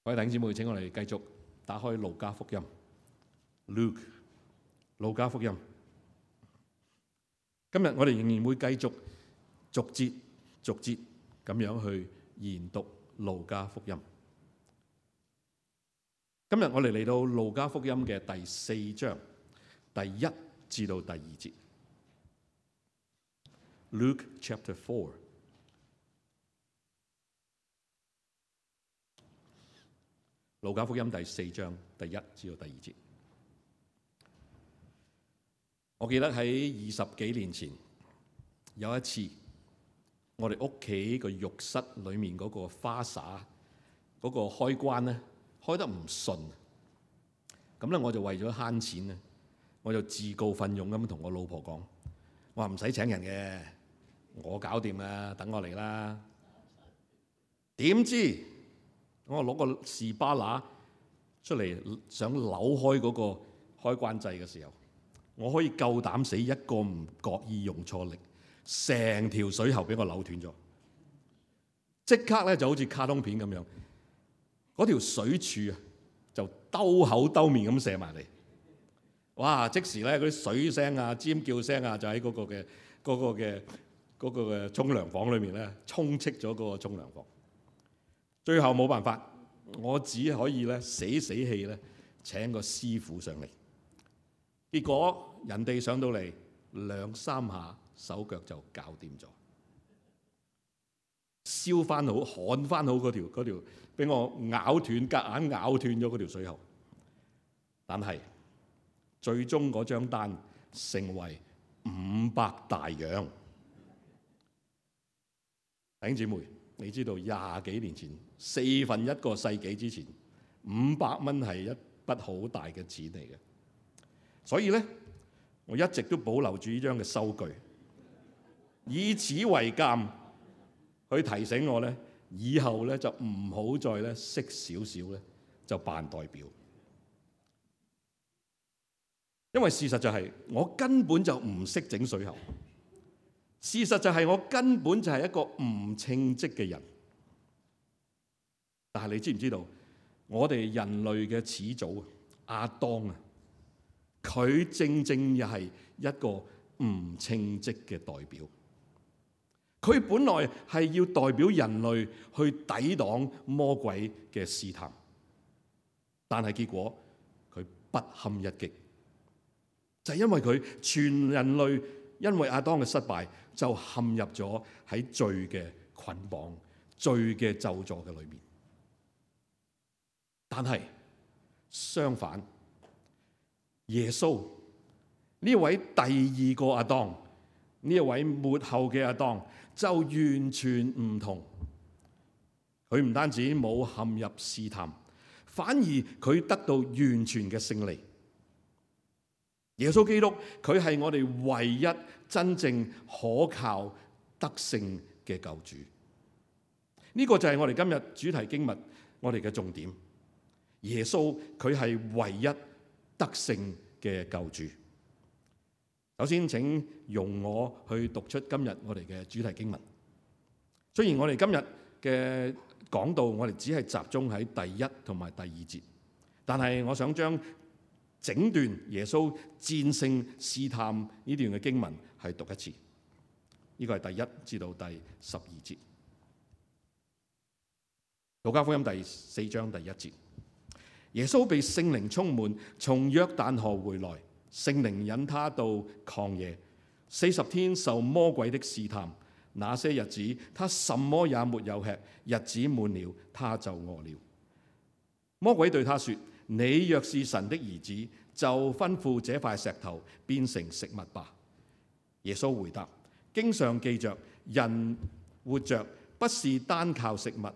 各位弟兄姊妹，請我哋繼續打開路加福音 Luke 路加福音。今日我哋仍然會繼續逐節咁樣去研讀路加福音。今日我哋嚟到路加福音嘅第4章第1至到第2節。Luke chapter 4。路加福音第4章第1至到第2節。我記得喺20幾年前有一次，我哋屋企個浴室裏面嗰個花灑嗰個開關咧開得唔順，咁咧我就為咗慳錢咧，我就自告奮勇咁同我老婆講：我話唔使請人嘅，我搞掂啦，等我嚟啦。點知我攞個士巴拿出嚟，想扭開嗰個開關掣嘅時候，我可以夠膽死一個唔覺意用錯力，成條水喉俾我扭斷咗。即刻咧就好似卡通片咁樣，嗰條水柱啊就兜口兜面咁射埋嚟。哇！即時咧嗰啲水聲啊、尖叫聲啊，就喺嗰個嘅沖涼房裏面咧充斥咗嗰個沖涼房。最後冇辦法，我只可以咧死氣咧請個師傅上嚟。結果人哋上到嚟2-3下，手腳就搞掂咗，燒翻好、焊翻好嗰條俾我夾硬咬斷咗嗰條水喉。但係最終嗰張單成為500大洋。弟兄姊妹，你知道20幾年前1/4個世紀之前，500蚊係一筆好大嘅錢嚟嘅。所以咧，我一直都保留住呢張嘅收據，以此為鑑，去提醒我咧，以後咧就唔好再咧識少少咧就扮代表。因為事實就係我根本就唔識整水喉，事實就係我根本就係一個唔稱職嘅人。但係你知唔知道，我哋人類嘅始祖亞當啊，佢正又係一個唔稱職嘅代表。佢本來係要代表人類去抵擋魔鬼嘅試探，但係結果佢不堪一擊。就係因為佢全人類因為亞當嘅失敗，就陷入咗喺罪嘅捆綁、罪嘅咒詛嘅裏面。但係相反，耶穌呢位第2個亞當，呢一位末後嘅亞當，就完全唔同。佢唔單止冇陷入試探，反而佢得到完全嘅勝利。耶穌基督佢係我哋唯一真正可靠得勝嘅救主。呢個就係我哋今日主題經文我哋嘅重點。耶穌佢係唯一得勝嘅救主。首先請容我去讀出今日我哋嘅主題經文。雖然我哋今日嘅講道我哋只係集中喺第1同埋第2節，但係我想將整段耶穌戰勝試探呢段嘅經文係讀一次。呢個係第1至到第12節。路加福音第4章第1節。耶穌被聖靈充滿，從約旦河回來，聖靈引他到曠野，40天受魔鬼的試探。那些日子他什麼也沒有吃，日子滿了，他就餓了。魔鬼對他說：你若是神的兒子，就吩咐這塊石頭變成食物吧。耶穌回答：經上記着，人活着不是單靠食物。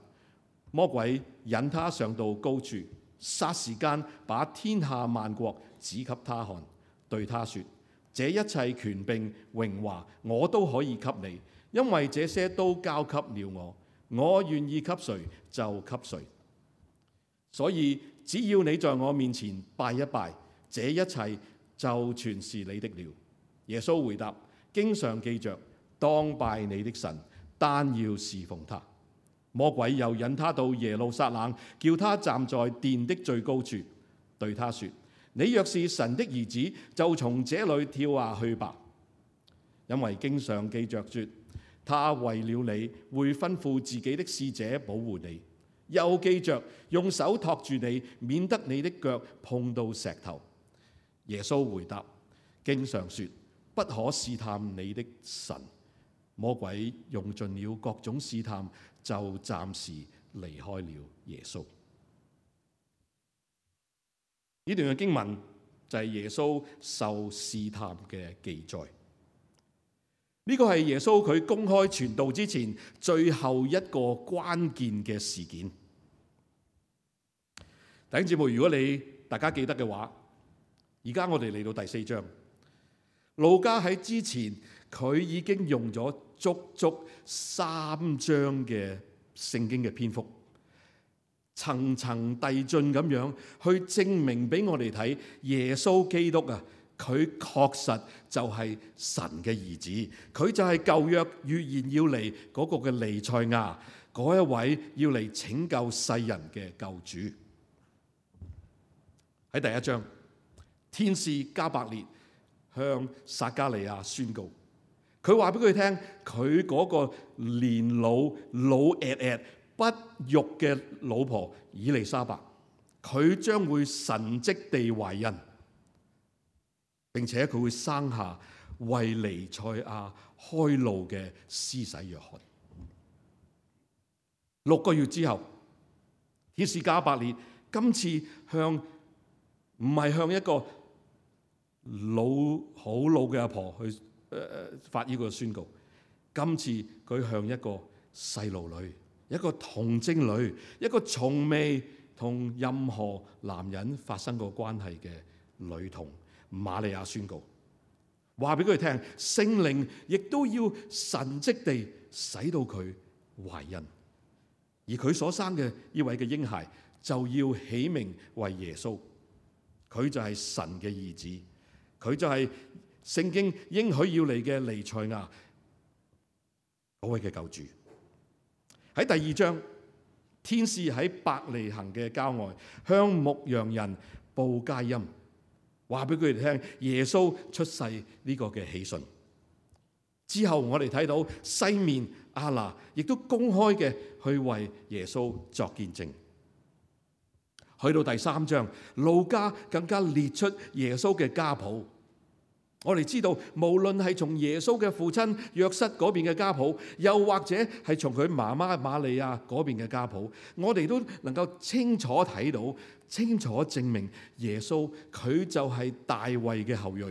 魔鬼引他上到高處，霎時間把天下萬國指給他看，對他說：這一切權柄榮華我都可以給你，因為這些都交給了我，我願意給誰就給誰。所以只要你在我面前拜一拜，這一切就全是你的了。耶穌回答：經上記着，當拜你的神，單要侍奉他。魔鬼又引他到耶路撒冷，叫他站在殿的最高處，對他說：你若是神的兒子，就從這裏跳下去吧。因為經上記着說，他為了你會吩咐自己的使者保護你，又記着用手托住你，免得你的腳碰到石頭。耶穌回答：經上說，不可試探你的神。魔鬼用盡了各種試探，就暫時離開了耶穌。呢段嘅經文就係耶穌受試探嘅記載。呢個係耶穌佢公開傳道之前最後一個關鍵嘅事件。弟兄姊妹，如果大家記得嘅話，而家我哋嚟到第4章，路加喺之前佢已經用咗足足3章嘅聖經嘅篇幅，層層遞進咁樣去證明俾我哋睇，耶穌基督啊，佢確實就係神嘅兒子，佢就係舊約預言要嚟嗰個嘅彌賽亞，嗰一位要嚟拯救世人嘅救主。喺第1章，天使加百列向撒迦利亞宣告，佢話俾佢聽，佢嗰個年老不育嘅老婆以利沙伯，佢將會神蹟地懷孕，並且佢會生下為彌賽亞開路嘅施洗約翰。6個月之後，天使加百列今次唔係向一個好老嘅阿婆去發呢個宣告，今次佢向一個細路女，一個童貞女，一個從未同任何男人發生過關係嘅女童瑪利亞宣告，話俾佢聽，聖靈亦都要神蹟地使到佢懷孕，而佢所生嘅呢位嘅嬰孩就要起名為耶穌，佢就係神嘅兒子，佢就係聖經應許要嚟嘅彌賽亞，嗰位嘅救主。喺第2章，天使喺伯利恆嘅郊外向牧羊人報佳音，話俾佢哋聽耶穌出世呢個嘅喜訊。之後我哋睇到西面亞拿亦都公開嘅去為耶穌作見證。去到第3章，路加更加列出耶穌嘅家譜。我哋知道，無論係從耶穌嘅父親約瑟嗰邊嘅家譜，又或者係從佢媽媽瑪利亞嗰邊嘅家譜，我哋都能夠清楚睇到、清楚證明耶穌佢就係大衛嘅後裔，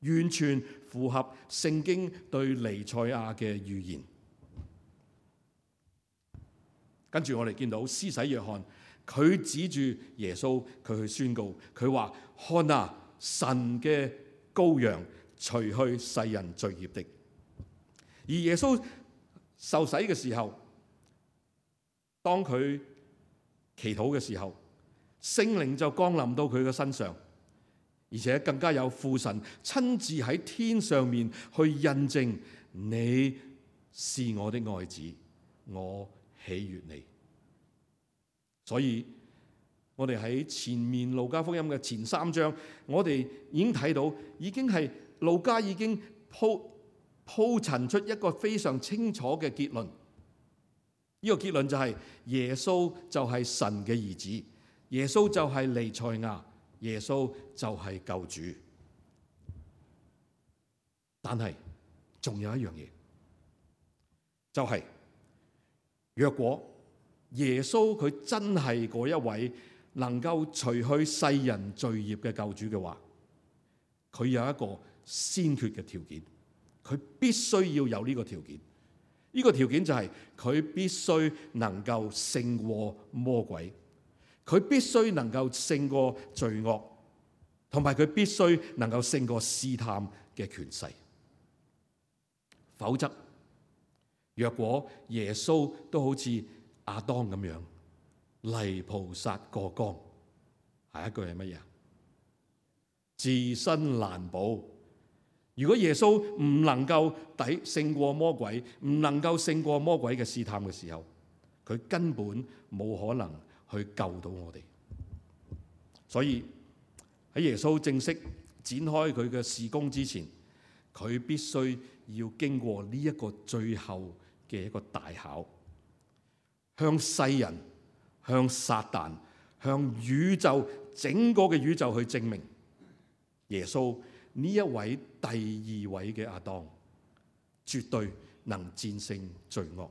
完全符合聖經對彌賽亞嘅預言。跟住我哋見到施洗約翰，佢指住耶穌，佢去宣告，佢話：看啊，神嘅羔羊，除去世人罪孽的。而耶穌受洗嘅時候，當佢祈禱嘅時候，聖靈就降臨到佢嘅身上，而且更加有父神親自喺天上面去印證，你是我的愛子，我喜悅你。所以我哋喺前面路加福音嘅前3章，我哋已經睇到，已經係路加已經鋪陳出一個非常清楚嘅結論。呢個結論就係耶穌就係神嘅兒子，耶穌就係彌賽亞，耶穌就係救主。但係仲有一樣嘢，就係若果耶穌佢真係嗰一位能夠除去世人罪孽嘅救主嘅話，佢有一個先決嘅條件，佢必須要有呢個條件。呢個條件就係佢必須能夠勝過魔鬼，佢必須能夠勝過罪惡，同埋佢必須能夠勝過試探嘅權勢。否則，若果耶穌都好似亞當咁樣泥菩薩過江，下一句係乜嘢？自身難保。如果耶穌唔能夠勝過魔鬼，唔能夠勝過魔鬼嘅試探嘅時候，佢根本冇可能去救到我哋。所以喺耶穌正式展開佢嘅事工之前，佢必須要經過呢一個最後嘅一個大考，向世人、向撒旦、向宇宙整個嘅宇宙去證明耶穌呢一位第二位嘅亞當，絕對能戰勝罪惡、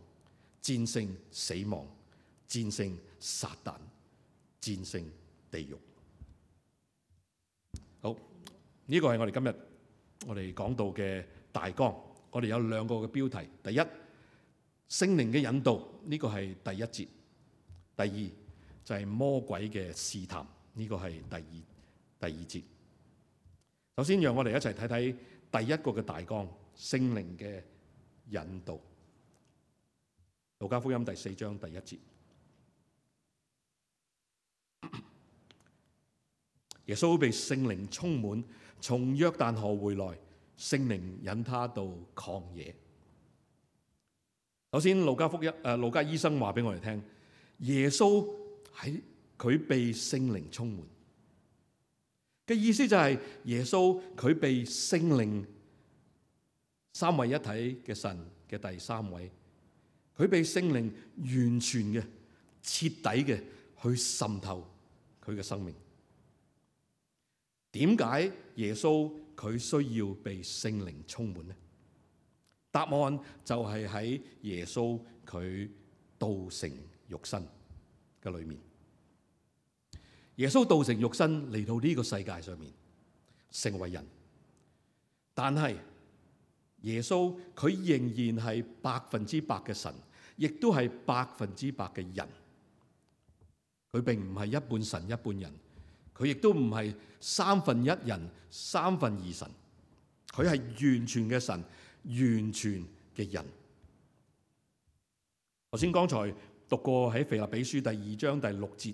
戰勝死亡、戰勝撒旦、戰勝地獄。好，呢個係我哋今日我哋講到嘅大綱。我哋有兩個嘅標題：第一，聖靈嘅引導，呢個係第一節；第二就係魔鬼嘅試探，呢個係第二節。首先，讓我哋一齊睇睇第一個嘅大綱：聖靈嘅引導。路加福音第4章第1節，耶穌被聖靈充滿，從約旦河回來，聖靈引他到曠野。首先，路加醫生話俾我哋聽，耶穌喺佢被聖靈充滿嘅意思就係耶穌佢被聖靈三位一體嘅神嘅第三位，佢被聖靈完全嘅、徹底嘅去滲透佢嘅生命。點解耶穌佢需要被聖靈充滿呢？答案就係喺耶穌佢道成肉身嘅裏面。耶穌道成肉身嚟到呢個世界上面成為人，但係耶穌佢仍然係100%嘅神，亦都係100%嘅人。佢並唔係一半神一半人，佢亦都唔係1/3人2/3神，佢係完全嘅神，完全嘅人。頭先剛才讀過喺腓立比書第2章第6節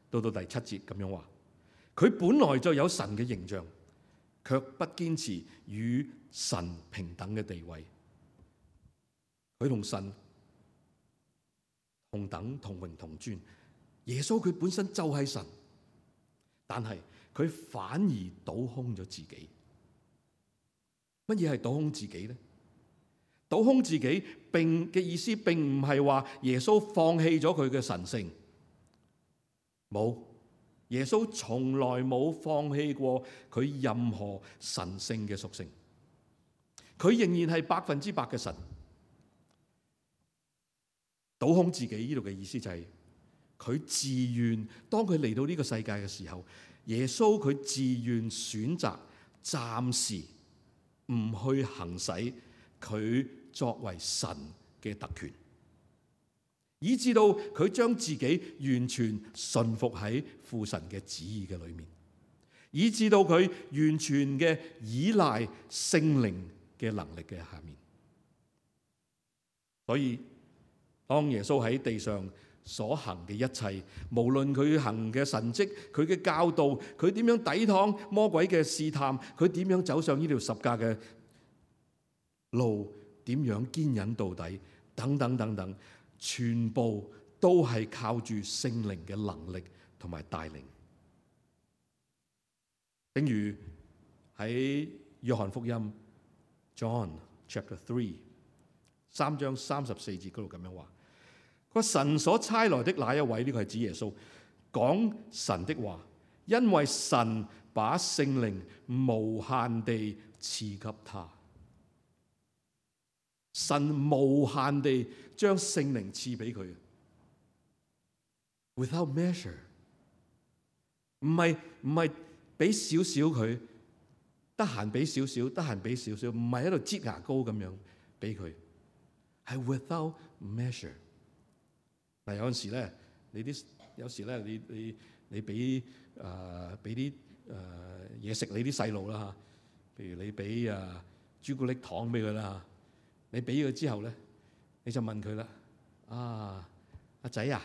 到第7節咁樣話，佢本來就有神嘅形象，卻不堅持與神平等嘅地位。佢同神同等同榮同尊。耶穌佢本身就係神，但係佢反而倒空咗自己。乜嘢係倒空自己呢？倒空自己嘅意思並唔係話耶穌放棄咗佢嘅神性，冇，耶穌從來冇放棄過佢任何神性嘅屬性，佢仍然係100%嘅神。倒空自己呢度嘅意思就係佢自願，當佢嚟到呢個世界嘅時候，耶穌佢自願選擇暫時唔去行使佢作為神嘅特權，以至到佢將自己完全順服喺父神嘅旨意嘅裏面，以至到佢完全嘅依賴聖靈嘅能力嘅下面。所以當耶穌喺地上所行嘅一切，無論佢行嘅神蹟、佢嘅教導、佢點樣抵擋魔鬼嘅試探、佢點樣走上呢條十架嘅路，點樣堅忍到底，等等等等，全部都係靠住聖靈嘅能力同埋帶領。正如喺約翰福音 John Chapter 3章34節嗰度咁樣話，佢話神所差來的那一位，呢個係指耶穌，講神的話，因為神把聖靈無限地賜給他。神無限地將聖靈賜俾佢 ，without measure， 唔係俾少少佢，得閒俾少少，得閒俾少少，唔係喺度擠牙膏咁樣俾佢，係 without measure。嗱，有陣時咧，有時咧，你俾啲嘢食你啲細路啦嚇，譬如你俾朱古力糖俾佢啦嚇。你俾佢之後咧，你就問佢啦：阿仔啊，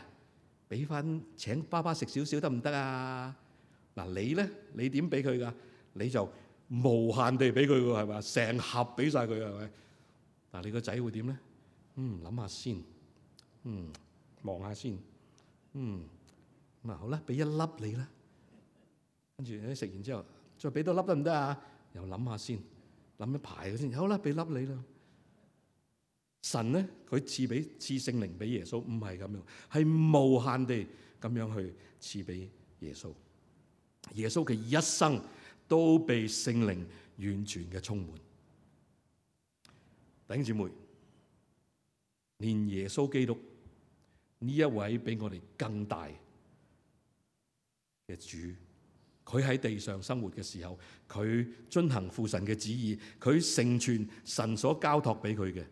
俾翻請爸爸食少少得唔得啊？嗱，你咧，你點俾佢噶？你就無限地俾佢喎，係咪？成盒俾晒佢，係咪？嗱，你個仔會點咧？諗下先，望下先。咁好啦，俾一粒你啦。跟住你食完之後，再俾多粒得唔得啊？又諗下先，諗一排先。好啦，俾粒你啦。神咧，佢賜聖靈俾耶穌，唔係咁樣，係無限地咁樣去賜俾耶穌。耶穌嘅一生都被聖靈完全嘅充滿。弟兄姊妹，連耶穌基督呢一位比我哋更大嘅主，佢喺地上生活嘅時候，佢遵行父神嘅旨意，佢成全神所交託俾佢嘅，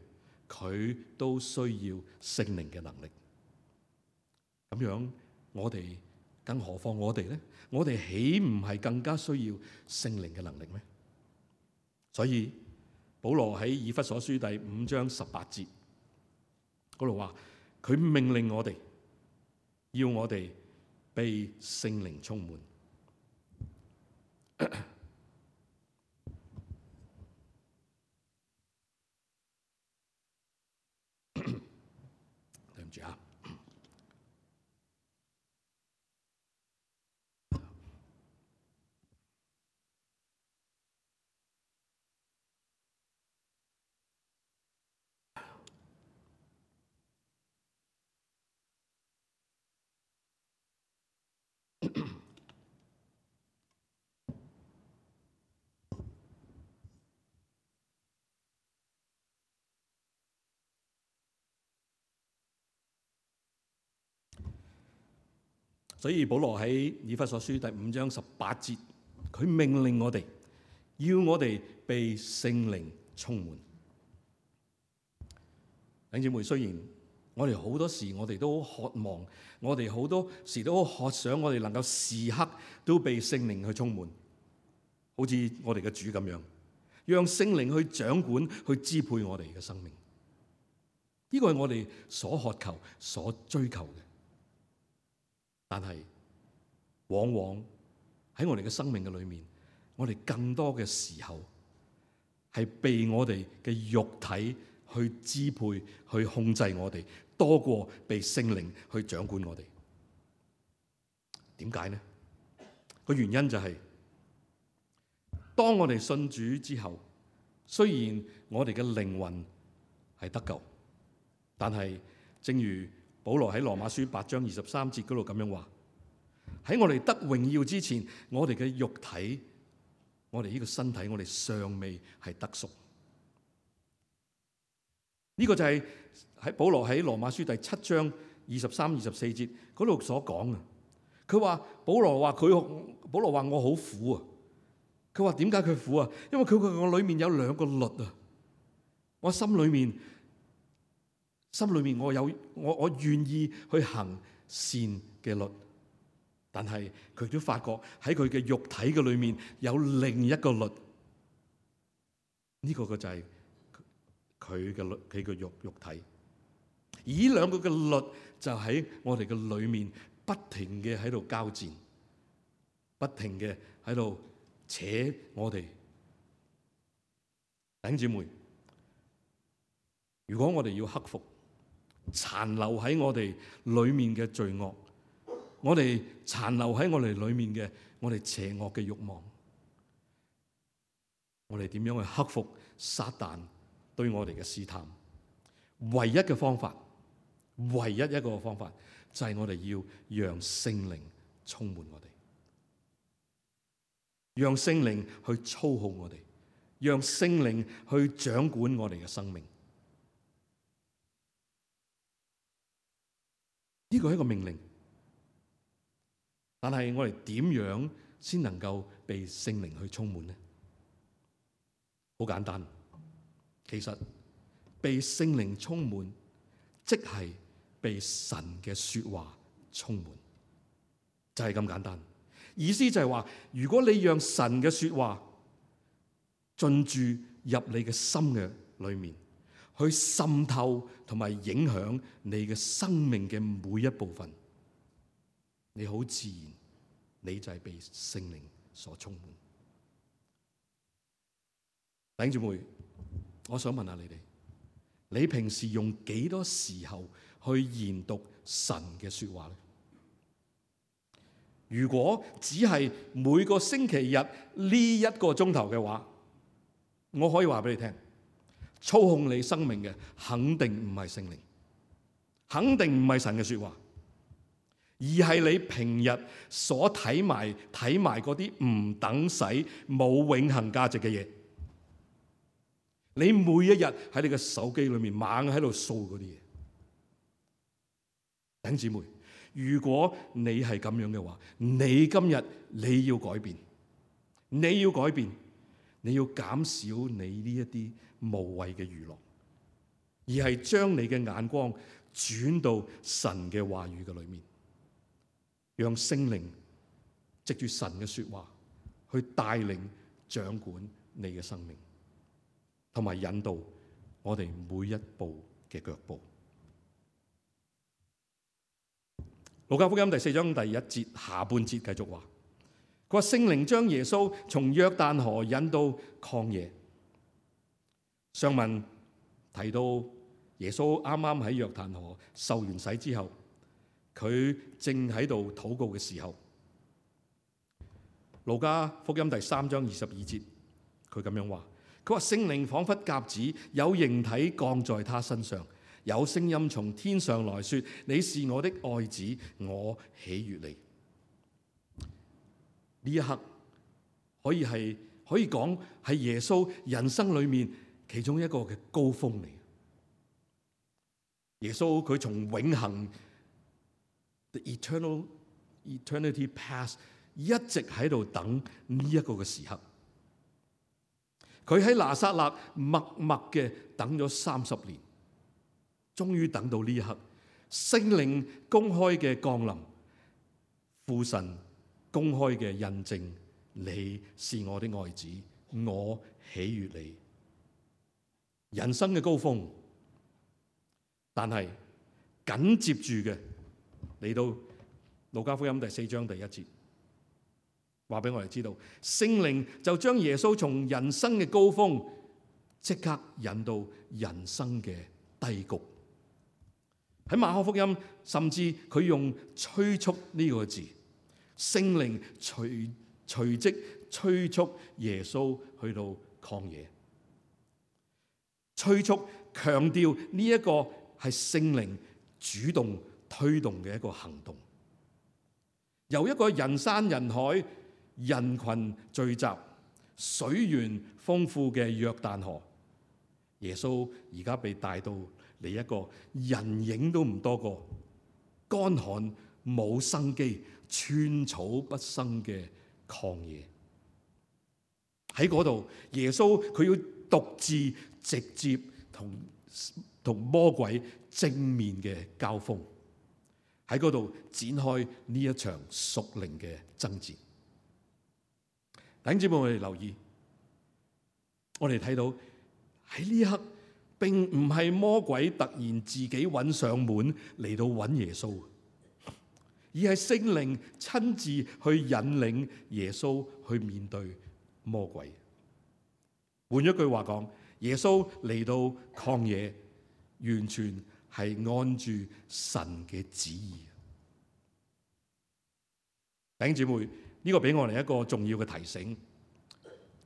佢都需要聖靈嘅能力。咁樣我哋更何況我哋咧？我哋豈唔係更加需要聖靈嘅能力咩？所以保羅喺以弗所書第5章18節嗰度話，佢命令我哋，要我哋被聖靈充滿。對唔住啊！所以保羅喺以弗所書第5章18節，佢命令我哋，要我哋被聖靈充滿。弟兄姊妹，雖然我哋好多時我哋都渴望，我哋好多時都渴想，我哋能夠時刻都被聖靈去充滿，好似我哋嘅主咁樣，讓聖靈去掌管、去支配我哋嘅生命。呢個係我哋所渴求、所追求嘅。但係往往喺我哋嘅生命嘅裏面，我哋更多嘅時候係被我哋嘅肉體去支配、去控制我哋，多過被聖靈去掌管我哋。點解呢？個原因就係，當我哋信主之後，雖然我哋嘅靈魂係得救，但係正如保羅喺羅馬書8章23節嗰度咁樣話，喺我哋得榮耀之前，我哋嘅肉體，我哋呢個身體，我哋尚未係得贖。呢個就係喺保羅喺羅馬書第7章23、24節嗰度所講嘅。佢話保羅話我好苦啊。佢話點解佢苦啊？因為我裏面有2個律啊。我心裏面我願意去行善嘅律，但係佢都發覺喺佢嘅肉體嘅裏面有另一個律，呢個就係佢嘅肉體。而呢2個嘅律就喺我哋嘅裏面不停嘅喺度交戰，不停嘅喺度扯我哋。弟兄姊妹，如果我哋要克服殘留喺我哋裏面嘅罪惡，我哋殘留喺我哋裏面嘅我哋邪惡嘅慾望，我哋點樣去克服撒旦對我哋嘅試探？唯一嘅方法，唯一一個方法就係我哋要讓聖靈充滿我哋，讓聖靈去操控我哋，讓聖靈去掌管我哋嘅生命。呢個係一個命令，但係我哋點樣先能夠被聖靈去充滿呢？好簡單，其實被聖靈充滿，即係被神嘅說話充滿，就係咁簡單。意思就係話，如果你讓神嘅說話進駐入你嘅心嘅裏面，去滲透同埋影響你嘅生命嘅每一部分，你好自然，你就係被聖靈所充滿。弟兄姊妹，我想問下你哋，你平時用幾多時候去研讀神嘅說話呢？如果只係每個星期日呢1個鐘頭嘅話，我可以話俾你聽，操控你生命嘅肯定唔係聖靈，肯定唔係神嘅說話，而係你平日所睇埋嗰啲唔等使、冇永恆價值嘅嘢。你每一日喺你嘅手機裏面猛喺度掃嗰啲嘢。弟兄姊妹，如果你係咁樣嘅話，你今日你要改變，你要改變，你要減少你呢一啲無謂嘅娛樂，而係將你嘅眼光轉到神嘅話語嘅裏面，讓聖靈藉住神嘅說話去帶領掌管你嘅生命，同埋引導我哋每一步嘅腳步。路加福音第4章第1節下半節繼續話，佢話聖靈將耶穌從約旦河引到曠野。上文提到耶穌啱啱喺約旦河受完洗之後，佢正喺度禱告嘅時候，路加福音第3章22節，佢咁樣話，佢話聖靈彷彿鴿子有形體降在他身上，有聲音從天上來說，你是我的愛子，我喜悅你。呢一刻可以講係耶穌人生裏面其中一個嘅高峰嚟。耶穌佢從永恆 the eternity past 一直喺度等呢一個嘅時刻。佢喺拿撒勒默默嘅等咗30年。終於等到呢一刻，聖靈公開嘅降臨，父神公開嘅印證，你是我的愛子，我喜悅你。人生嘅高峰，但係緊接住嘅嚟到路加福音第4章第1節，話俾我哋知道，聖靈就將耶穌從人生嘅高峰即刻引到人生嘅低谷。喺馬可福音，甚至佢用催促呢個字，聖靈隨即催促耶穌去到曠野，催促強調呢一個係聖靈主動推動嘅一個行動，由一個人山人海、人群聚集、水源豐富嘅約旦河，耶穌而家被帶到嚟一個人影都唔多個、乾旱冇生機、寸草不生嘅曠野。喺嗰度，耶穌佢要獨自直接同魔鬼正面嘅交鋒，喺嗰度展開呢一場屬靈嘅爭戰。弟兄姊妹，我哋留意，我哋睇到喺呢一刻，並唔係魔鬼突然自己揾上門嚟到揾耶穌，而係聖靈親自去引領耶穌去面對魔鬼。換一句話講，耶穌嚟到曠野，完全係按住神嘅旨意。弟兄姊妹，呢個俾我哋一個重要嘅提醒，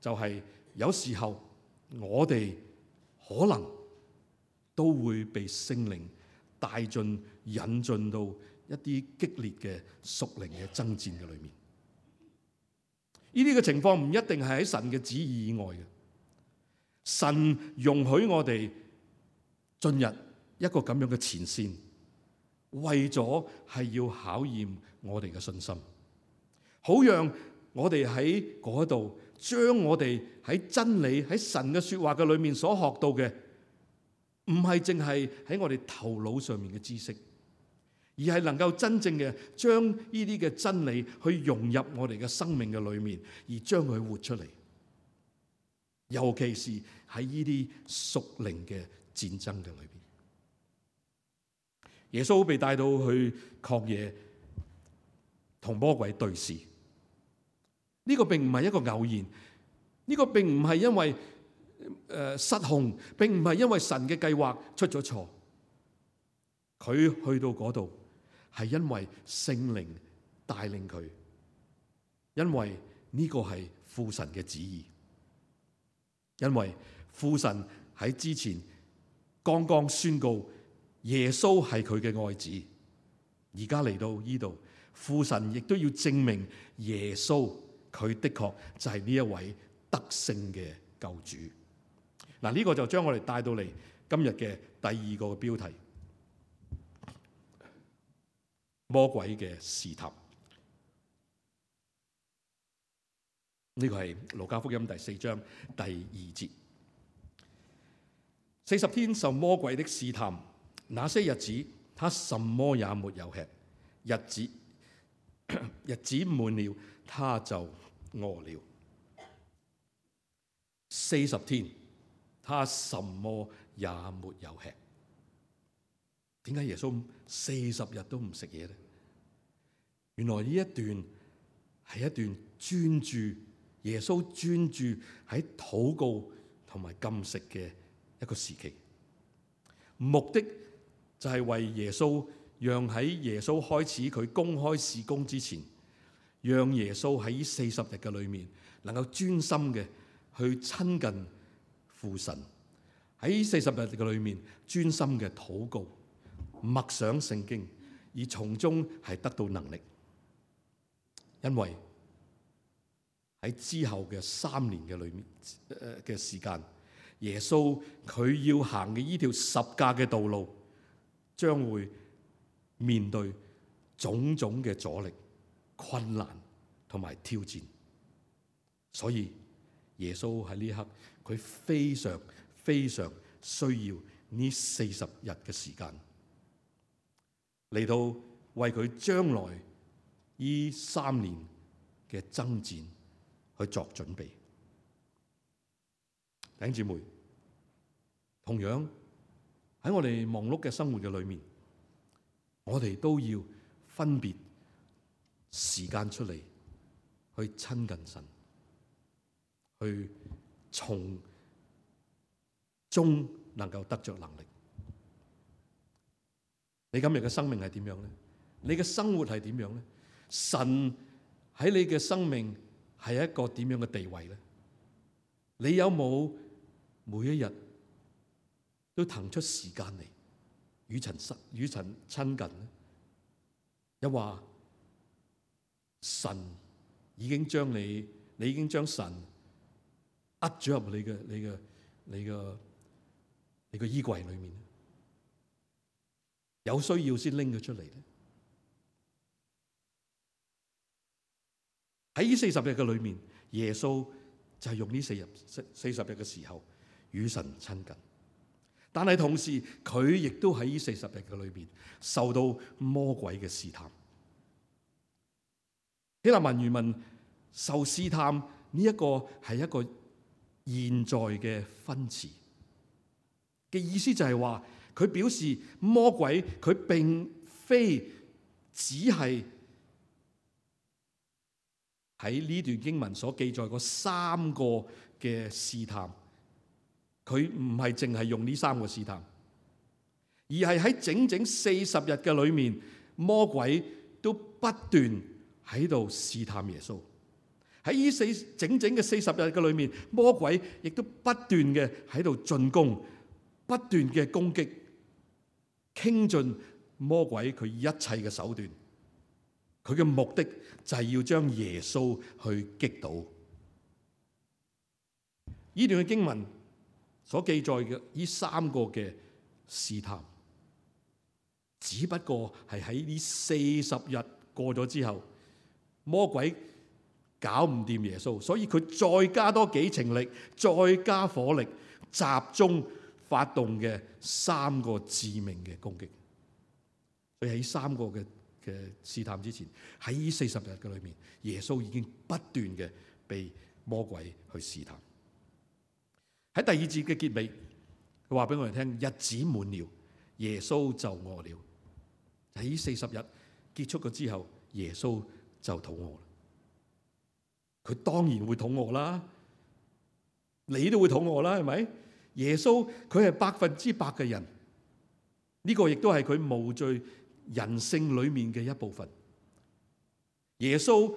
就係有時候我哋可能都會被聖靈帶進、引進到一啲激烈嘅屬靈嘅爭戰嘅裏面。呢啲嘅情況唔一定係喺神嘅旨意以外嘅。神容許我哋進入一個咁樣嘅前線，為咗係要考驗我哋嘅信心，好讓我哋喺嗰度將我哋喺真理、喺神嘅說話嘅裏面所學到嘅，唔係淨係喺我哋頭腦上面嘅知識，而係能夠真正嘅將呢啲嘅真理去融入我哋嘅生命嘅裏面，而將佢活出嚟。尤其是喺呢啲屬靈嘅戰爭嘅裏邊，耶穌被帶到去曠野同魔鬼對視。呢個並唔係一個偶然，呢個並唔係因為失控，並唔係因為神嘅計劃出咗錯。佢去到嗰度，係因為聖靈帶領佢，因為呢個係父神嘅旨意，因為父神喺之前剛剛宣告耶穌係佢嘅愛子，而家嚟到呢度，父神亦都要證明耶穌佢的確就係呢一位得勝嘅救主。嗱，呢個就將我哋帶到嚟今日嘅第二個標題：魔鬼嘅試探。呢個係路加福音第4章第2節。40天受魔鬼的試探，那些日子他什麼也沒有吃，日子滿了，他就餓了。40天他什麼也沒有吃。點解耶穌40日都唔食嘢呢？原來呢一段係一段專注耶穌專注喺禱告同埋禁食嘅一個時期，目的就係為耶穌，讓喺耶穌開始佢公開事工之前，讓耶穌喺40日嘅裏面能夠專心嘅去親近父神，喺40日嘅裏面專心嘅禱告、默想聖經，而從中係得到能力。因為喺之後嘅3年嘅裏面嘅時間，耶穌佢要行嘅呢條十架嘅道路，將會面對種種嘅阻力、困難同埋挑戰。所以耶穌喺呢一刻，佢非常非常需要呢40日嘅時間，嚟到為佢將來呢3年嘅爭戰去作準備。弟兄姊妹，同樣喺我哋忙碌嘅生活嘅裏面，我哋都要分別時間出嚟去親近神，去從中能夠得着能力。你今日嘅生命係點樣呢？你嘅生活係點樣呢？神喺你嘅生命係一個點樣嘅地位呢？你有冇每一日都騰出時間嚟與神親近呢？又話神已經將你已經將神握咗入你嘅衣櫃裏面，有需要先拎佢出嚟咧。喺呢40日嘅裏面，耶穌就係用呢40日嘅時候與神親近，但係同時佢亦都喺呢40日嘅裏面受到魔鬼嘅試探。希臘文原文受試探呢一個係一個現在嘅分詞嘅意思，就係話佢表示魔鬼佢並非只係喺呢段經文所記載嗰3個嘅試探，佢唔係淨係用呢3個試探，而係喺整整40日嘅裏面，魔鬼都不斷喺度試探耶穌。喺呢整整嘅40日嘅裏面，魔鬼亦都不斷嘅喺度進攻，不斷嘅攻擊，傾盡魔鬼佢一切嘅手段。佢嘅目的就係要將耶穌去擊倒。呢段嘅經文所記載嘅呢3個嘅試探，只不過係喺呢40日過咗之後，魔鬼搞唔掂耶穌，所以佢再加多幾程力，再加火力，集中發動嘅3個致命嘅攻擊。所以喺3個嘅試探之前，喺呢40日嘅裏面，耶穌已經不斷嘅被魔鬼去試探。喺第2節嘅結尾，佢話俾我哋聽，日子滿了，耶穌就餓了。喺呢40日結束咗之後，耶穌就肚餓啦。佢當然會肚餓啦，你都會肚餓啦，係咪？耶穌佢係100%嘅人，呢個亦都係佢無罪人性裏面嘅一部分。耶穌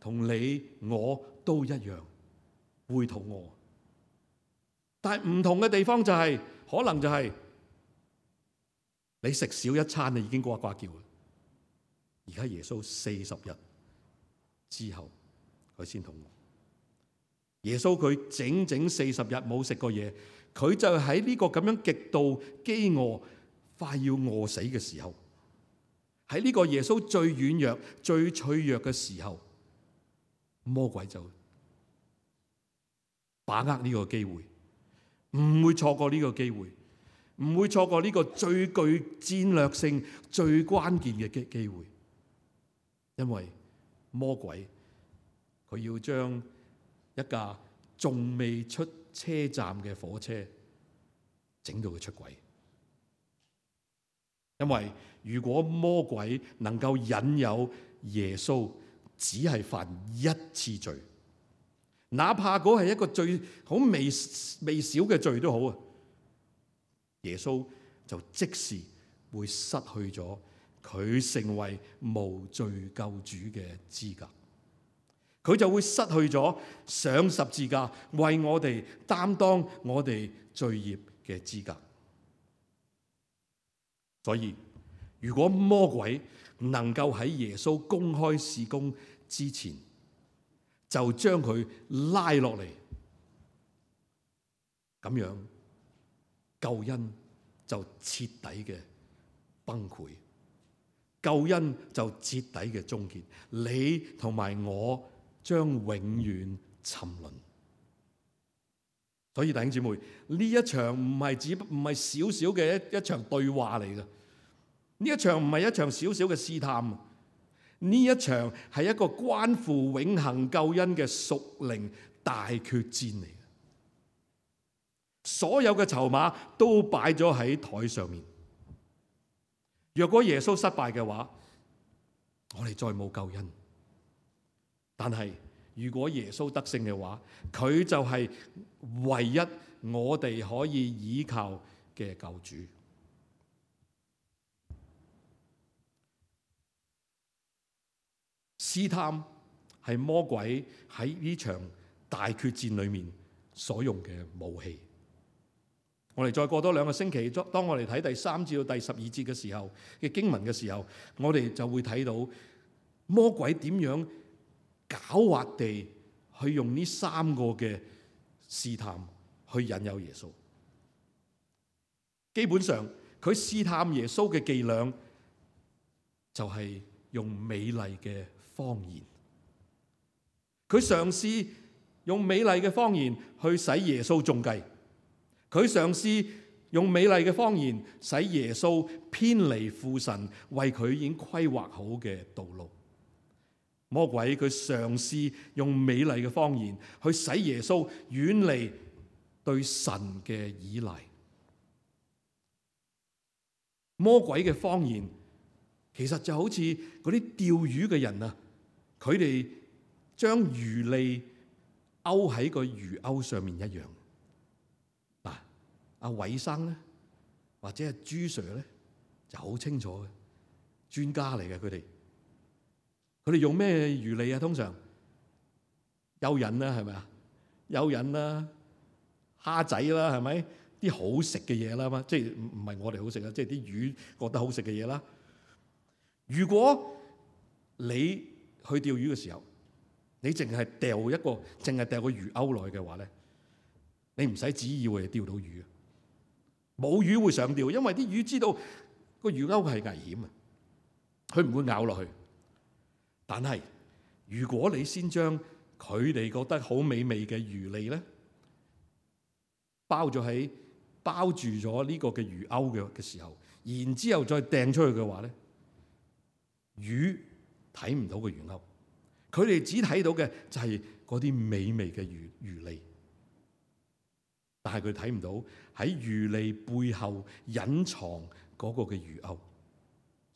同你我都一樣會肚餓，但係唔同嘅地方就係，可能就係你食少一餐你已經呱呱叫啦。而家耶穌40日之後佢先肚餓。耶穌佢整整40日冇食過嘢，佢就喺呢個咁樣極度飢餓快要餓死嘅時候，喺呢個耶穌最軟弱最脆弱嘅時候，魔鬼就把握呢個機會，唔會錯過呢個機會，唔會錯過呢個最具戰略性最關鍵嘅機會。因為魔鬼佢要將一架仲未出車站嘅火車整到佢出軌。因為如果魔鬼能夠引誘耶穌只係犯一次罪，哪怕嗰係一個最好微小嘅罪都好啊，耶穌就即時會失去咗佢成為無罪救主嘅資格，佢就會失去咗上十字架為我哋擔當我哋罪孽嘅資格。所以如果魔鬼能夠喺耶穌公開事工之前就將佢拉落嚟，咁樣救恩就徹底嘅崩潰，救恩就徹底嘅終結，你同埋我將永遠沉淪。所以弟兄姊妹，呢一場唔係少少嘅一場對話嚟嘅，呢一場唔係一場少少嘅試探，呢一場係一個關乎永恆救恩嘅屬靈大決戰嚟嘅。所有嘅籌碼都擺咗喺台上面。若果耶穌失敗嘅話，我哋再冇救恩。但係如果耶穌得勝嘅話，佢就係唯一我哋可以依靠嘅救主。試探係魔鬼喺呢場大決戰裏面所用嘅武器。我哋再過多2個星期，當我哋睇第3至到第12節嘅時候嘅經文嘅時候，我哋就會睇到魔鬼點樣狡猾地去用呢3個嘅試探去引誘耶穌。基本上佢試探耶穌嘅伎倆就係用美麗嘅謊言，佢嘗試用美麗嘅謊言去使耶穌中計，佢嘗試用美麗嘅謊言使耶穌偏離父神為佢已經規劃好嘅道路。魔鬼佢嘗試用美麗嘅謊言去使耶穌遠離對神嘅依賴。魔鬼嘅謊言其實就好似嗰啲釣魚嘅人啊，佢哋將魚餌勾喺個魚鈎上面一樣。嗱，阿偉生咧，或者係朱 Sir 咧，就好清楚嘅，專家嚟嘅佢哋。佢哋用咩魚餌啊？通常蚯蚓啦，係咪啊？蚯蚓啦、蝦仔啦，係咪？啲好食嘅嘢啦嘛，即係唔係我哋好食啊？即係啲魚覺得好食嘅嘢啦。如果你去釣魚嘅時候，你淨係掉個魚鈎落去嘅話咧，你唔使旨意會釣到魚，冇魚會上釣，因為啲魚知道個魚鈎係危險啊，佢唔會咬落去。但係如果你先將佢哋覺得好美味嘅魚餌咧，包住咗呢個嘅魚鈎嘅時候，然之後再掟出去嘅話咧，魚睇唔到個魚鈎，佢哋只睇到嘅就係嗰啲美味嘅魚餌，但係佢睇唔到喺魚餌背後隱藏嗰個嘅魚鈎，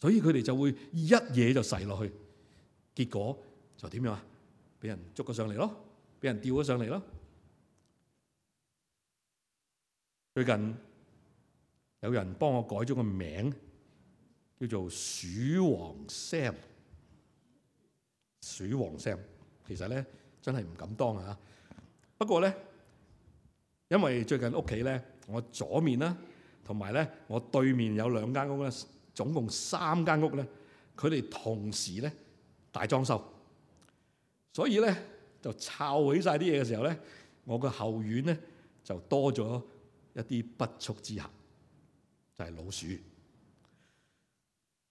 所以佢哋就會一嘢就噬落去。結果就點樣啊？俾人捉咗上嚟咯，俾人釣咗上嚟咯。最近有人幫我改咗個名，叫做鼠王 Sam。鼠王 Sam 其實咧真係唔敢當啊！不過咧，因為最近屋企咧，我左面啦，同埋咧我對面有2間屋咧，總共3間屋咧，佢哋同時咧大裝修，所以咧就摷起晒啲嘢嘅時候咧，我個後院咧就多咗一啲不速之客，就係老鼠。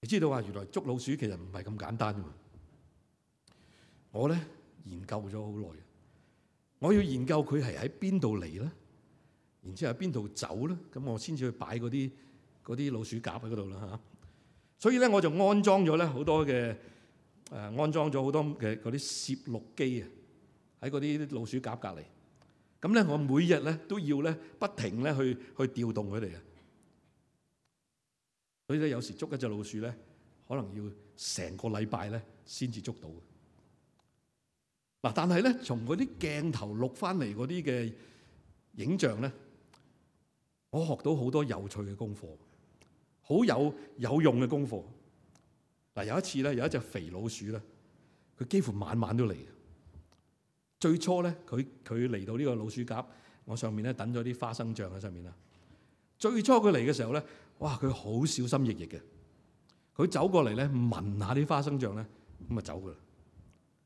你知道啊，原來捉老鼠其實唔係咁簡單㗎嘛。我咧研究咗好耐，我要研究佢係喺邊度嚟咧，然之後喺邊度走咧，咁我先至去擺嗰啲老鼠夾喺嗰度啦嚇。所以咧我就安裝咗咧好多嘅安裝咗好多嘅嗰啲攝錄機啊，喺嗰啲老鼠夾隔離。咁咧我每日咧都要咧不停咧去調動佢哋啊。所以咧有時捉一隻老鼠咧，可能要成個禮拜咧先至捉到。嗱，但係咧，從嗰啲鏡頭錄翻嚟嗰啲嘅影像咧，我學到好多有趣嘅功課，好有用嘅功課。嗱，有一次咧，有一隻肥老鼠咧，佢幾乎晚晚都嚟。最初咧，佢嚟到呢個老鼠夾，我上面咧等咗啲花生醬喺上面啦。最初佢嚟嘅時候咧，哇！佢好小心翼翼嘅，佢走過嚟咧聞下啲花生醬咧，咁啊走噶啦。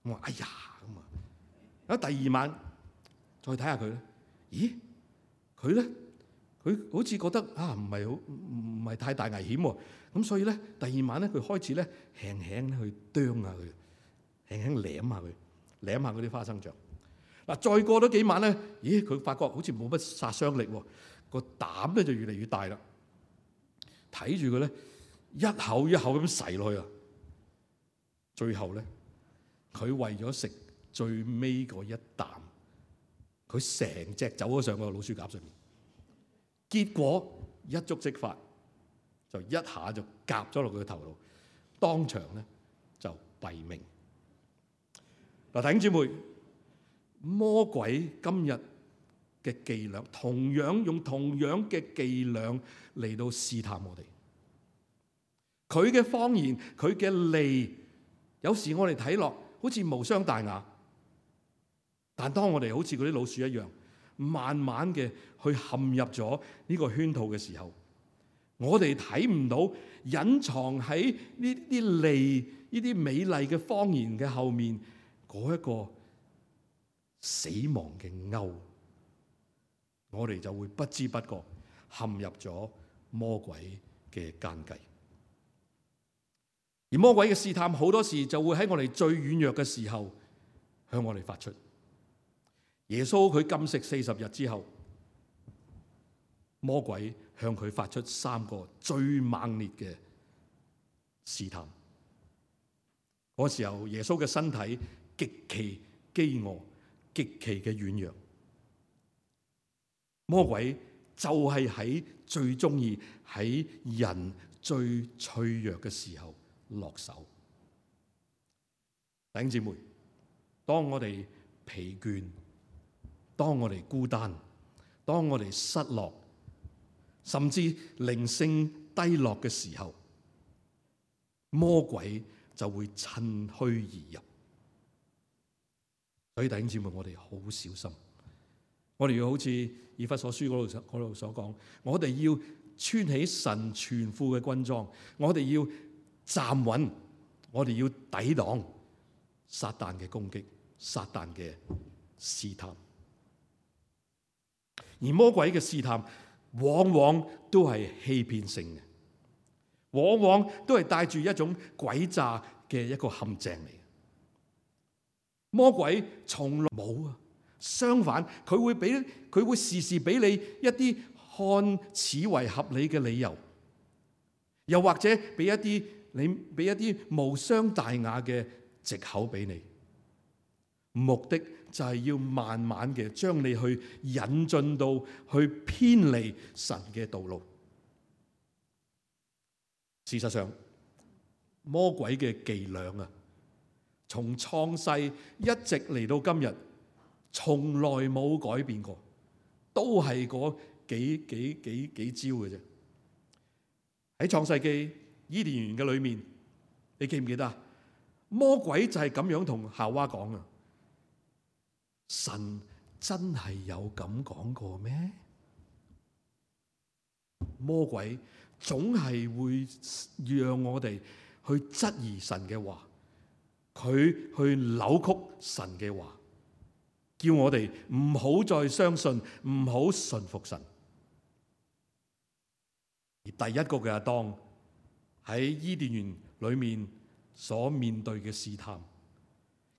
我話：哎呀！咁啊！喺第2晚再睇下佢咧，咦？佢咧，佢好似覺得啊，唔係太大危險喎。咁所以咧，第2晚咧，佢開始咧輕輕去啄下佢，輕輕舐下佢，舐下嗰啲花生醬。嗱，再過多幾晚咧，咦？佢發覺好似冇乜殺傷力喎，個膽咧就越嚟越大啦。睇住佢咧，一口一口咁噬落去啊！最後咧，佢為咗食最尾嗰一啖，佢成隻走咗上個老鼠夾上面，結果一觸即發，就一下就夾咗落佢個頭度，當場咧就斃命。嗱，弟兄姊妹，魔鬼今日嘅伎倆，用同樣嘅伎倆嚟到試探我哋。佢嘅謊言，佢嘅利，有時我哋睇落好似無傷大雅，但當我哋好似嗰啲老鼠一樣，慢慢嘅去陷入咗呢個圈套嘅時候，我哋睇唔到隱藏喺呢啲利、呢啲美麗嘅謊言嘅後面嗰一個死亡嘅鈎，我哋就會不知不覺陷入咗魔鬼嘅奸計。而魔鬼嘅試探好多時就會喺我哋最軟弱嘅時候向我哋發出。耶穌佢禁食40日之後，魔鬼向佢發出3個最猛烈嘅試探。嗰時候耶穌嘅身體極其飢餓，極其嘅軟弱。魔鬼就係喺最中意喺人最脆弱嘅時候落手。弟兄姊妹，當我哋疲倦，當我哋孤單，當我哋失落，甚至靈性低落嘅時候，魔鬼就會趁虛而入。所以弟兄姊妹，我哋好小心，我哋要好似以弗所書嗰度所講，我哋要穿起神全副嘅軍裝，我哋要站穩，我哋要抵擋撒旦嘅攻擊，撒旦嘅試探。而魔鬼嘅試探往往都係欺騙性嘅，往往都係帶住一種詭詐嘅一個陷阱嚟。魔鬼從來冇啊，相反佢會時時俾你一啲看似為合理嘅理由，又或者俾一啲無傷大雅嘅藉口俾你，目的就係要慢慢嘅將你去引進到去偏離神嘅道路。事實上，魔鬼嘅伎倆啊，從創世一直嚟到今日，從來冇改變過，都係嗰幾招嘅啫。喺創世記伊甸園嘅裏面，你記唔記得啊？魔鬼就係咁樣同夏娃講啊！神真係有咁講過咩？魔鬼總係會讓我哋去質疑神嘅話，佢去扭曲神嘅話，叫我哋唔好再相信，唔好順服神。而第一個嘅亞當喺伊甸園裏面所面對嘅試探，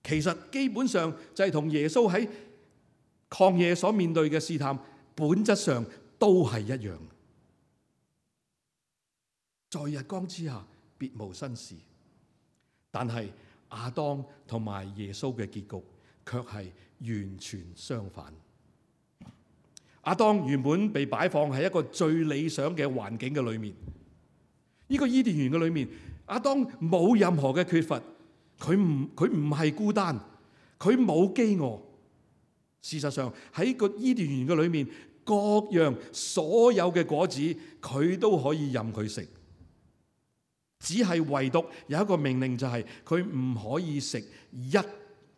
其實基本上就係同耶穌喺曠野所面對嘅試探，本質上都係一樣。在日光之下，別無新事。但係亞當同埋耶穌嘅結局，卻係完全相反。亞當原本被擺放喺一個最理想嘅環境嘅裏面，呢個伊甸園嘅裏面，亞當冇任何嘅缺乏，佢唔係孤單，佢冇飢餓。事實上喺個伊甸園嘅裏面，各樣所有嘅果子，佢都可以任佢食。只係唯獨有一個命令，就係佢唔可以食一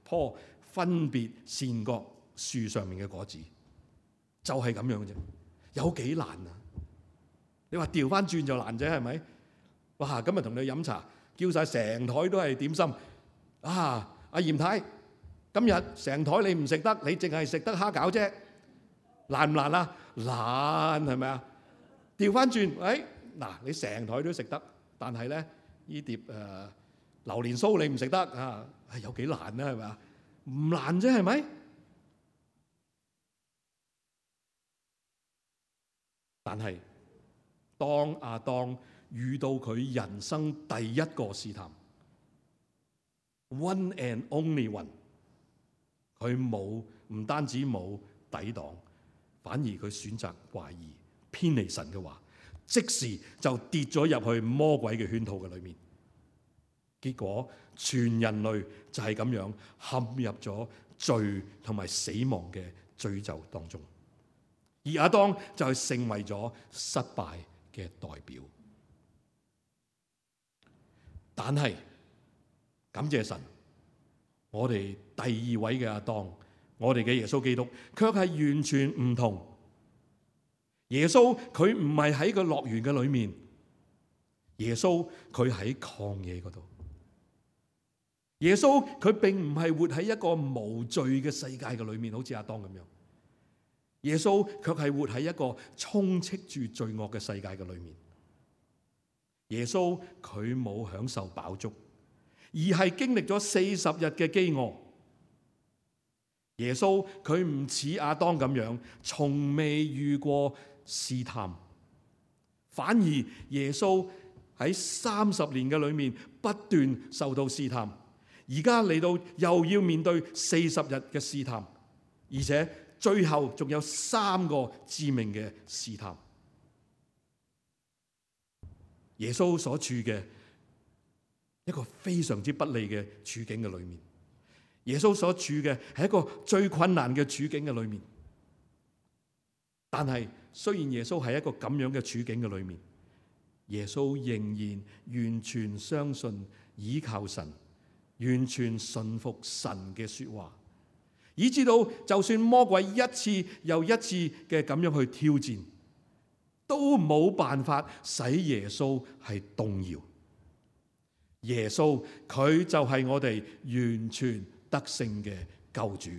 棵分別善惡樹上面嘅果子，就係咁樣啫。有幾難啊？你話調翻轉就難啫，係咪？哇！今日同你飲茶，叫晒成台都係點心啊！阿嚴太，今日成台你唔食得，你淨係食得蝦餃啫，難唔難啊？難，係咪啊？調翻轉，嗱，你成台都食得。但係咧，呢碟榴蓮酥你唔食得啊？有幾難咧？係咪啊？唔難啫，係咪？但係當亞當遇到佢人生第一個試探 ，one and only one， 佢唔單止冇抵擋，反而佢選擇懷疑、偏離神嘅話。即時就跌咗入去魔鬼嘅圈套嘅裏面，結果全人類就係咁樣陷入咗罪同埋死亡嘅詛咒當中，而亞當就係成為咗失敗嘅代表。但係感謝神，我哋第二位嘅亞當，我哋嘅耶穌基督，卻係完全唔同。耶穌佢唔係喺個樂園嘅裏面，耶穌佢喺曠野嗰度。耶穌佢並唔係活喺一個無罪嘅世界嘅裏面，好似亞當咁樣。耶穌卻係活喺一個充斥住罪惡嘅世界嘅裏面。耶穌佢冇享受飽足，而係經歷咗40日嘅飢餓。耶穌佢唔似亞當咁樣，從未遇過試探，反而耶穌喺30年嘅裏面不斷受到試探，而家嚟到又要面對40日嘅試探，而且最後仲有3個致命嘅試探。耶穌所處嘅一個非常之不利嘅處境嘅裏面，耶穌所處嘅係一個最困難嘅處境嘅裏面。但係雖然耶穌係一個咁樣嘅處境嘅裏面，耶穌仍然完全相信倚靠神，完全順服神嘅說話，以至到就算魔鬼一次又一次嘅咁樣去挑戰，都冇辦法使耶穌係動搖。耶穌佢就係我哋完全得勝嘅救主。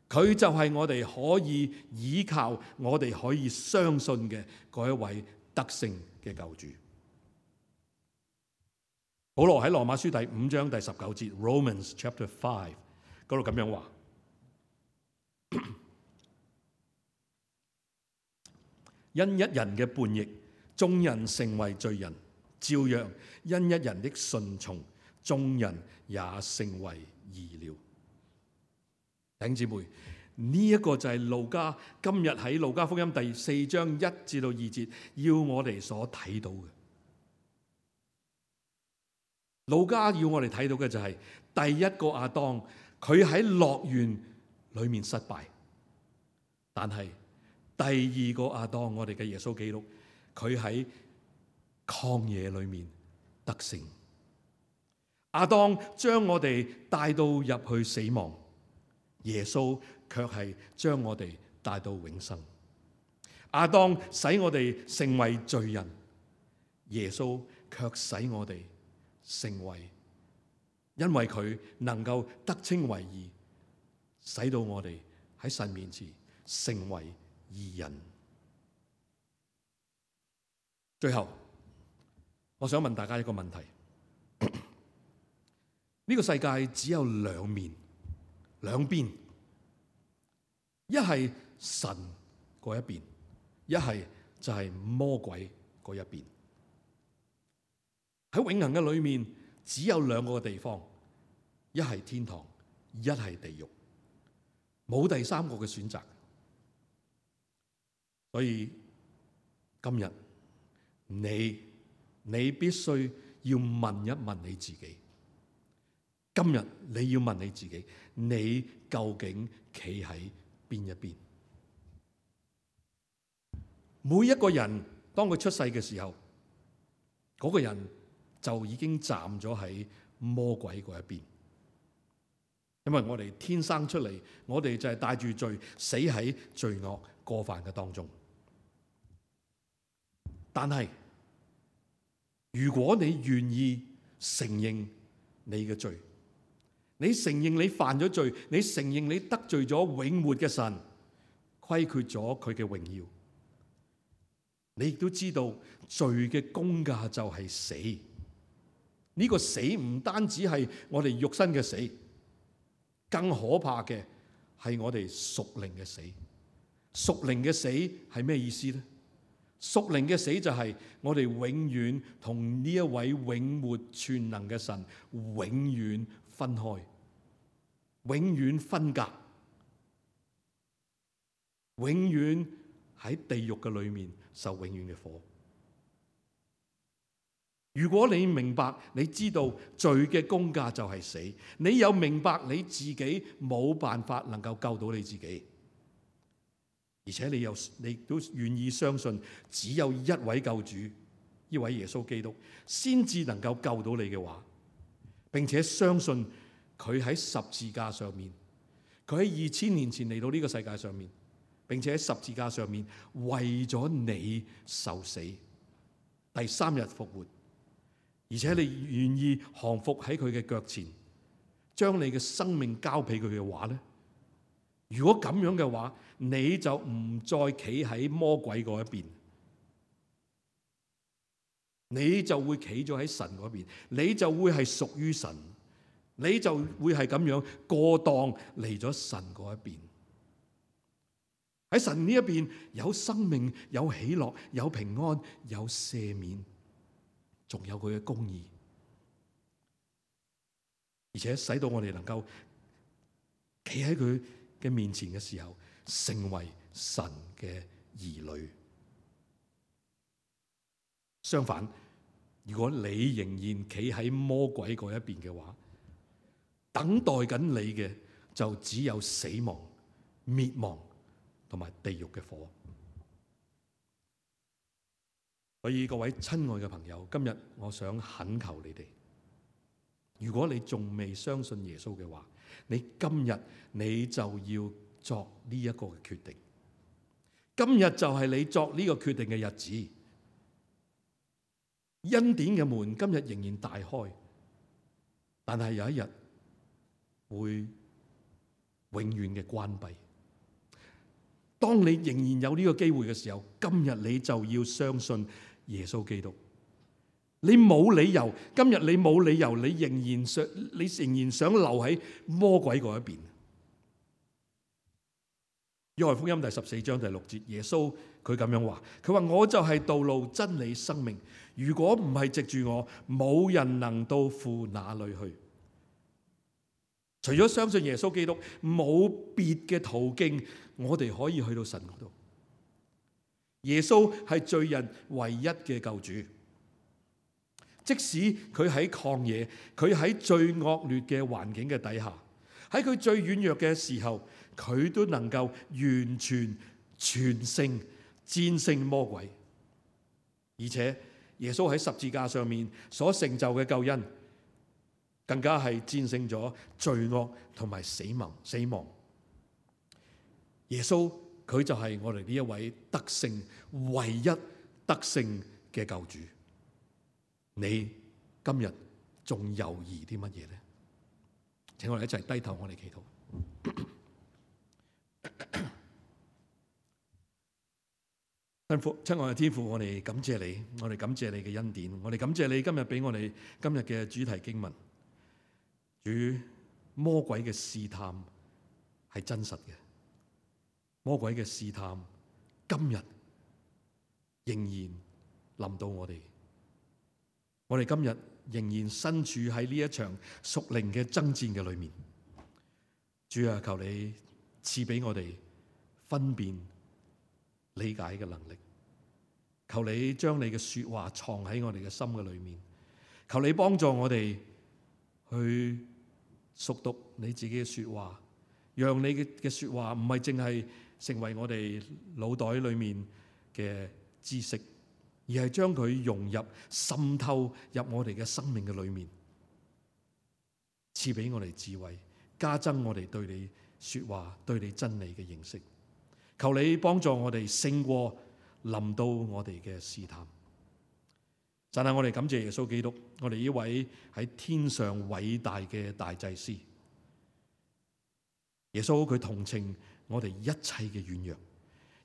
佢就係我哋可以依靠、我哋可以相信嘅嗰一位得勝嘅救主。保羅喺羅馬書第5章第19節 Romans chapter 5嗰度咁樣話：因一人嘅叛逆，眾人成為罪人；照樣因一人的順從，眾人也成為義了。弟兄姊妹，呢一個就係路加今日喺路加福音第4章1至2節要我哋所睇到嘅。路加要我哋睇到嘅就係第一個亞當，佢喺樂園裏面失敗，但係第二個亞當，我哋嘅耶穌基督，佢喺曠野裏面得勝。亞當將我哋帶到入去死亡，耶穌卻係將我哋帶到永生。亞當使我哋成為罪人，耶穌卻使我哋成為，因為佢能夠得稱為義，使到我哋喺神面前成為義人。最後，我想問大家一個問題：呢個世界只有兩面、兩邊，一係神嗰一邊，一係就係魔鬼嗰一邊。喺永恆嘅裏面，只有兩個地方，一係天堂，一係地獄，冇第三個嘅選擇。所以今日你必須要問一問你自己，今日你要問你自己，你究竟企喺邊一邊？每一個人當佢出世嘅時候，嗰個人就已經站咗喺魔鬼嗰一邊，因為我哋天生出嚟，我哋就係帶住罪，死喺罪惡過犯嘅當中。但係如果你願意承認你嘅罪，你承認你犯咗罪，你承認你得罪咗永活嘅神，虧缺咗佢嘅榮耀，你亦都知道罪嘅工價就係死。呢個死唔單止係我哋肉身嘅死，更可怕嘅係我哋屬靈嘅死。屬靈嘅死係咩意思呢？屬靈嘅死就係我哋永遠同呢一位永活全能嘅神永遠分開，永遠分隔，永遠喺地獄嘅裏面受永遠嘅火。如果你明白，你知道罪嘅工價就係死，你又明白你自己冇辦法能夠救到你自己，而且你都願意相信只有一位救主，呢位耶穌基督先至能夠救到你嘅話，並且相信佢喺十字架上面，佢喺2000年前嚟到呢個世界上面，並且喺十字架上面為咗你受死，第3日復活，而且你願意降服喺佢嘅腳前，將你嘅生命交俾佢嘅話咧，如果咁樣嘅話，你就唔再企喺魔鬼嗰一邊，你就會企咗喺神嗰邊，你就會係屬於神，你就會係咁樣過檔嚟咗神嗰一邊。喺神呢一邊有生命，有喜樂，有平安，有赦免，仲有佢嘅公義，而且使到我哋能夠企喺佢嘅面前嘅時候，成為神嘅兒女。相反，如果你仍然企喺魔鬼嗰一邊嘅話，等待緊你嘅就只有死亡、滅亡同埋地獄嘅火。所以各位親愛嘅朋友，今日我想懇求你哋，如果你仲未相信耶穌嘅話，你今日你就要作呢一個嘅決定。今日就係你作呢個決定嘅日子。恩典嘅門今日仍然大開，但係有一日會永遠嘅關閉。當你仍然有呢個機會嘅時候，今日你就要相信耶穌基督。你冇理由，今日你冇理由，你仍然想留喺魔鬼嗰一邊。約翰福音第14章第6節，耶穌佢咁樣話，佢話我就係道路、真理、生命，如果唔係藉住我，冇人能到父那裏去。除咗相信耶穌基督，冇別嘅途徑，我哋可以去到神嗰度。耶穌係罪人唯一嘅救主，即使佢喺曠野，佢喺最惡劣嘅環境嘅底下，喺佢最軟弱嘅時候，佢都能夠完全全勝，戰勝魔鬼，而且耶穌喺十字架上面所成就嘅救恩，更加係戰勝咗罪惡同埋死亡。耶穌佢就係我哋呢一位得勝、唯一得勝嘅救主。你今日仲猶豫啲乜嘢呢？請我哋一齊低頭，我哋祈禱。親愛嘅天父，我哋感謝你，我哋感謝你嘅恩典，我哋感謝你今日俾我哋今日嘅主題經文。主，魔鬼嘅試探係真實嘅，魔鬼嘅試探今日仍然臨到我哋。我哋今日仍然身處喺呢一場屬靈嘅爭戰嘅裏面。主啊，求你賜俾我哋分辨理解嘅能力，求你將你嘅說話藏喺我哋嘅心嘅裏面，求你幫助我哋去熟讀你自己嘅說話，讓你嘅說話唔係淨係成為我哋腦袋裏面嘅知識，而係將佢融入滲透入我哋嘅生命嘅裏面，賜俾我哋智慧，加增我哋對你說話、對你真理嘅認識。求你幫助我哋勝過臨到我哋嘅試探。但係我哋感謝耶穌基督，我哋呢位喺天上偉大嘅大祭司。耶穌佢同情我哋一切嘅軟弱，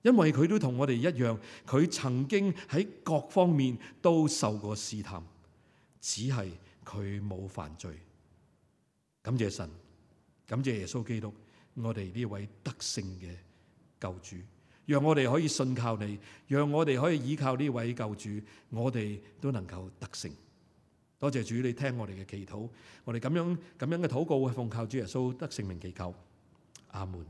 因為佢都同我哋一樣，佢曾經喺各方面都受過試探，只係佢冇犯罪。感謝神，感謝耶穌基督，我哋呢位得勝嘅救主，讓我哋可以信靠你，讓我哋可以依靠呢位救主，我哋都能夠得勝。多謝主，你聽我哋嘅祈禱，我哋咁樣嘅禱告，奉靠主耶穌得勝名祈求，阿門。